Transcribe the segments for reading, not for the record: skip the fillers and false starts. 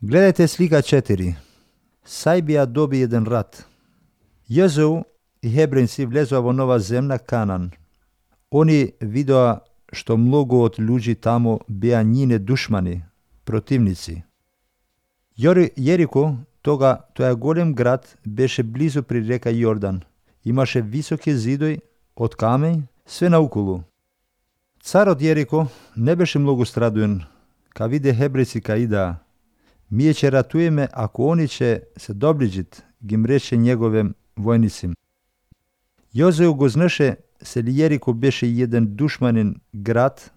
Gledajte slika 4. Sajbija dobi jedan rat. Jozue i Hebrejci vlezu v nova zemlja Kanan. Oni vidio što mnogo od ljudi tamo bija njine dušmani, protivnici. Jeriko, to je golem grad, beše blizu pri reka Jordan. Imaše visoke zidoj od kamen, sve naokolo. Car od Jeriko ne beše mnogo stradujen, ka vide Hebrejci ka ida. Mi će ratujeme ako oni će se dobližit, gim reče njegovim vojnicim. Jozue go znaše se li Jeriko beše jedan dušmanin grad.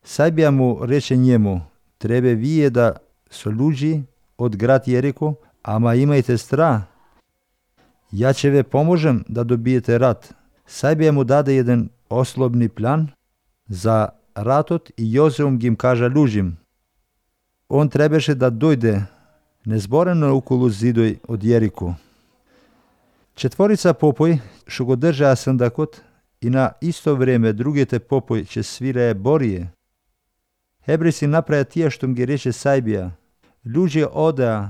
Sajbija mu reče njemu, trebe vije da su ljudi od grad Jeriko, ama imajte strah. Ja će ve pomožem da dobijete rat. Sajbija mu dade jedan oslobni plan za ratot i Jozeum gim kaže lužim. On trebeše da dojde nezboreno okolo zidoj od Jeriko. Četvorica popoj, što go drža sandakot, i na isto vreme drugete popoj će sviraje borije. Hebrejci napraja tije što mi reče Sajbija. Ljudi odea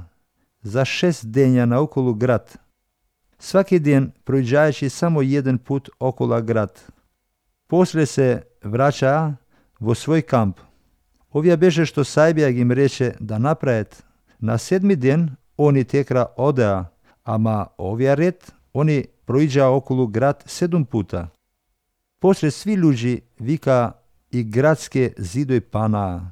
za 6 denja na okolo grad. Svaki den prođajući samo jedan put okolo grad. Poslije se vraća vo svoj kamp. Ovija beže što Sajbija im reče da naprajet. Na 7. den oni tekra odea, ama ovija red oni prođa okolo grad 7 puta. Poslije svi ljudi vika i gradske zidoj pana.